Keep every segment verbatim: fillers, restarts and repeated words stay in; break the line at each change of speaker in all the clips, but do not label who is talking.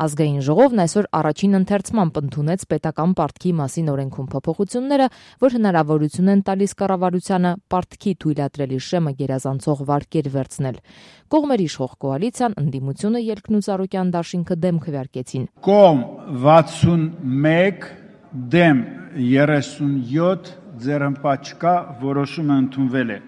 Ազգային ժողովն այսօր առաջին ընթերցմամբ ընդունեց պետական պարտքի մասին օրենքում փոփոխությունները, որ հնարավորություն են տալիս կառավարությանը պարտքի թույլատրելի շեմը գերազանցող վարկեր վերցնել։ Կողմերի իշխող կոալիցիան, ընդդիմությունը, Ելքն ու Ծառուկյան դաշինքը դեմ քվեարկեցին։
Կողմ վաթսունմեկ, դեմ երեսունյոթ, ձեռնպատ չկա, որոշումը ընդունվել է։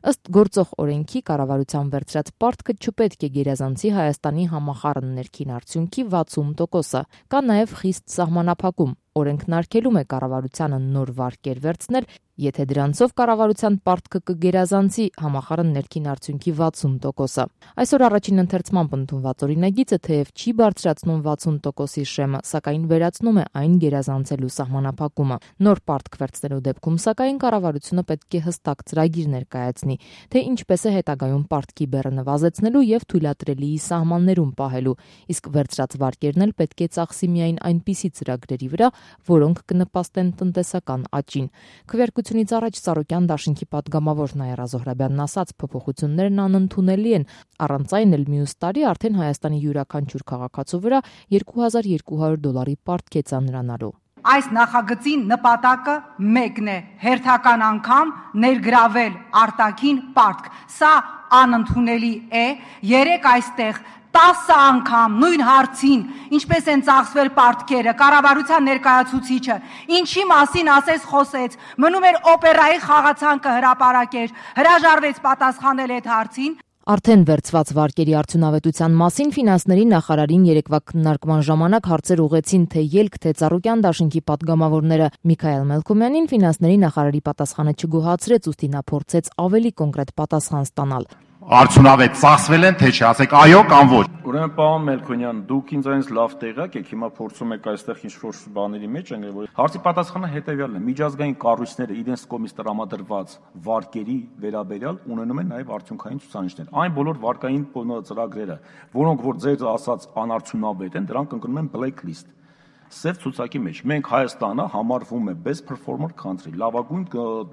Ըստ գործող օրենքի կառավարության վերցրած պարտքը չպետք է գերազանցի Հայաստանի համախառն ներքին արդյունքի վաթսուն տոկոսը։ Կա նաև խիստ սահմանափակում։ Օրենքն արգելում է կառավարությանը նոր վարկեր վերցնել, եթե դրանցով կառավարության պարտքը կգերազանցի համախառն ներքին արդյունքի վաթսուն տոկոսը։ Այսօր առաջին ընթերցմամբ ընդունված օրինագիծը թեև չի բարձրացնում վաթսուն տոկոսի շեմը, սակայն վերացնում է այն գերազանցելու սահմանափակումը։ Նոր պարտք վերցնելու դեպքում սակայն կառավարությունը պետք է հստակ ծրագիր ներկայացնի, թե ինչպես է հետագայում պարտքի բեռը նվազեցնելու եւ թույլատրելիի սահմաններում պահելու, իսկ վերցրած վարկերն էլ պետք է ծախսի միայն այնպիսի ծրագրերի վրա, որոնք կնպաստեն տնտեսական աճին։ Քվեարկությունից առաջ Ծառուկյան դաշինքի պատգամավոր Նաիրա Զոհրաբյանն ասաց, փոփոխություններն անընդունելի են, առանց այն էլ մյուս տարի արդեն Հայաստանի յուրաքանչյուր քաղաքացու վրա երկու հազար երկու հարյուր դոլարի պարտք է ծանրանալու։
Այս նախագծի նպատակը մեկն է՝ հերթական անգամ ներգրավել արտաքին պարտք։ Սա անընդունելի է։ Երեք այստեղ տասը անգամ նույն հարցին, ինչպես են ծախսվել պարտքերը, կառավարության ներկայացուցիչը, ինչի մասին ասես խոսեց, մնում էր օպերայի խաղացանկը հրապարակեր, հրաժարվեց պատասխանել այդ հարցին։
Արդեն վերցված վարկերի արդյունավետության մասին ֆինանսների նախարարին երեկվա քննարկման ժամանակ հարցեր ուղղեցին թե Ելք, թե Ծառուկյան դաշինքի պատգամավորները։ Միքայել Մելքոմյանին ֆինանսների նախարարի պատասխանը չգոհացրեց, ուստի նա փորձեց ավելի կոնկրետ պատասխան ստանալ։
Արդյունավետ ծախսվել են, թե չէ, ասեք այո կամ ոչ։
Ուրեմն պարոն Մելքոնյան, դուք ինձ այնց լավ տեղյակ եք, հիմա փորձում եք այստեղ ինչ-որ բաների մեջ ենք, որ հարցի պատասխանը հետեւյալն է. միջազգային կառույցները իրենց կողմից տրամադրված վարկերի վերաբերյալ ունենում են նաև արդյունքային ցուցանիշներ։ Այն բոլոր վարկային ծրագրերը, որոնք որ ձեր ասած անարդյունավետ են, դրանք ընկնում են blacklist։ Սև ցուցակի մեջ մենք Հայաստանը համարվում է best performer country, լավագույն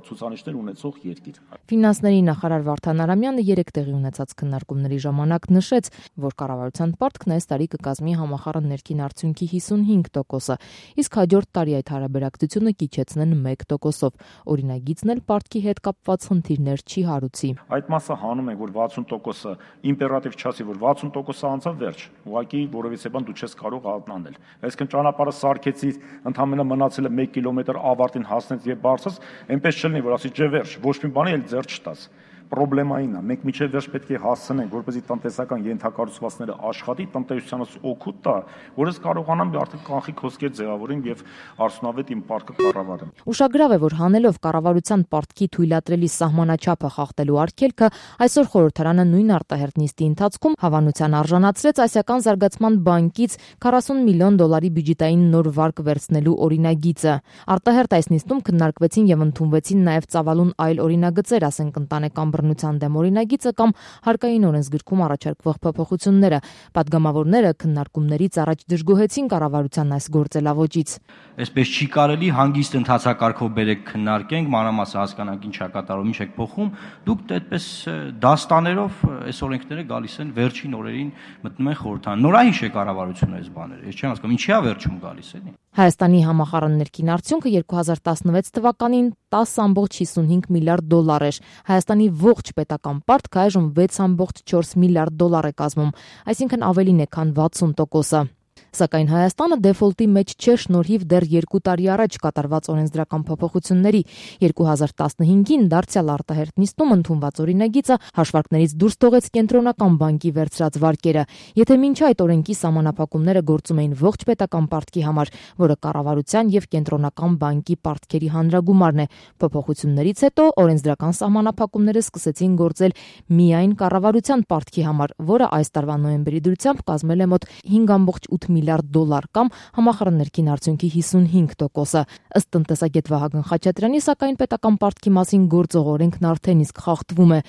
ցուցանիշներ ունեցող երկիր։
Ֆինանսների նախարար Վարդան Արամյանը երեք տեղի ունեցած քննարկումների ժամանակ նշեց, որ կառավարության պարտքն այս տարի կկազմի համախառն ներքին արդյունքի հիսունհինգ տոկոսը, իսկ հաջորդ տարի այդ հարաբերակցությունը կիջեցնեն մեկ տոկոսով։ Օրինագիծն էլ պարտքի հետ կապված խնդիրներ չի հարուցի։
Այդ մասը հանում ենք, որ վաթսուն տոկոսը իմպերատիվ չասի, որ վաթսուն տոկոսը անցավ վերջ, ուղղակի որովհետեւ բան դու չես կարող անել։ Այսինքն ճանապարհ սարքեցի, ընդհանրապես մնացել է մեկ կիլոմետր ավարտին հասնեց եւ բարձրաց, այնպես չլինի, որ ասի ջե վերջ, ոչ մի բանի էլ ձեռ չտաս։ Պրոբլեմային է, մենք միջև վերջ պետք է հասցնենք, որպեսզի տնտեսական ենթակառուցվածքները աշխատի, տնտեսությանս օգուտ տա, որ ես կարողանամ արդեն կանխիկ հոսքեր ձևավորեմ եւ արդյունավետ իմ պարտքը կառավարեմ։
Ուշագրավ է, որ հանելով կառավարության պարտքի թույլատրելի սահմանաչափը խախտելու արգելքը, այսօր խորհրդարանը նույն արտահերթ նիստի ընթացքում հավանության արժանացրեց Ասիական զարգացման բանկից քառասուն միլիոն դոլարի բյուջետային նոր վարկ վերցնելու օրինագիծը։ Արտահերթ այս նիստում քննարկվեցին եւ ընդունվեցին նաեւ ծավալուն այլ օրինագծեր, ասենք ընտանեկան բռնության դեմ օրինագիծը կամ հարկային օրենսգրքում առաջարկվող փոփոխությունները։ Պատգամավորները քննարկումներից առաջ դժգոհեցին կառավարության այս գործելավոճից։
Այսպես չի կարելի հանգիստ ընթացակարգով բերեք քննարկենք, մանրամասը հասկանանք ինչ է կատարում, ինչ է փոխում։ Դուք այդպես դաստաներով այս օրենքները գալիս են վերջին օրերին մտնում են խորհրդարան։ Նորահիշ է կառավարությունը այս բաները։ Ես չեմ հասկանում, ինչի՞ է վերջում գալիս էլի։
Հայաստանի համախառն ներքին արդյունքը երկու հազար տասնվեց թվականին տասը ամբողջ հիսունհինգ միլիարդ դոլար էր։ Հայաստանի ողջ պետական պարտքը այժմ վեց ամբողջ չորս միլիարդ դոլար է կազմում, այսինքն ավելին է, քան վաթսուն տոկոսը։ Սակայն Հայաստանը դեֆոլտի մեջ չէ շնորհիվ դեռ երկու տարի առաջ կատարված օրենսդրական փոփոխությունների։ երկու հազար տասնհինգին դարձյալ արտահերթ նիստում ընդունված օրինագիծը հաշվարկներից դուրս թողեց կենտրոնական բանկի վերցրած վարկերը։ Եթե մինչ այդ օրենքի սահմանափակումները գործում էին ողջ պետական պարտքի համար, որը կառավարության եւ կենտրոնական բանկի պարտքերի հանրագումարն է, փոփոխություններից հետո օրենսդրական սահմանափակումները սկսեցին գործել միայն կառավարության պարտքի համար, որը այս տարվա նոյեմբերի դրությամբ կազմել է մոտ հինգ ամբողջ ութ միլիարդ դոլար կամ համախառն ներքին արդյունքի հիսունհինգ տոկոսը։ Ըստ տնտեսագետ Վահագն Խաչատրյանի, սակայն պետական պարտքի մասին գործող օրենքն արդեն իսկ խախտվում է։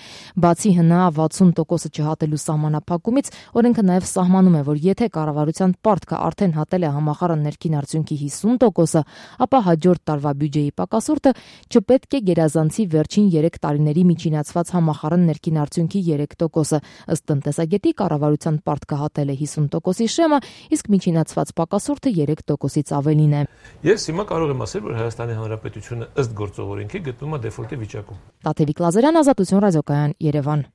Բացի հնա վաթսուն տոկոսը չհատելու սահմանափակումից, օրենքը նաև սահմանում է, որ եթե կառավարության պարտքը արդեն հատել է համախառն ներքին արդյունքի հիսուն տոկոսը, ապա հաջորդ տարվա բյուջեի պակասուրդը չպետք է գերազանցի վերջին երեք տարիների միջինացված համախառն ներքին արդյունքի երեք տոկոսը։ Ըստ տնտեսագետի, կառավարության պարտքը հատել է հիսուն տոկոսի շեմը, իսկ մինչև առաջինացված պակասորթը երեք տոկոսից ավելին է։
Ես հիմա կարող եմ ասել, որ Հայաստանի Հանրապետությունը ըստ գործող օրենքի գտնվում է դեֆոլտի վիճակում։
Տաթևիկ Լազարյան, Ազատություն ռադիոկայան, Երևան։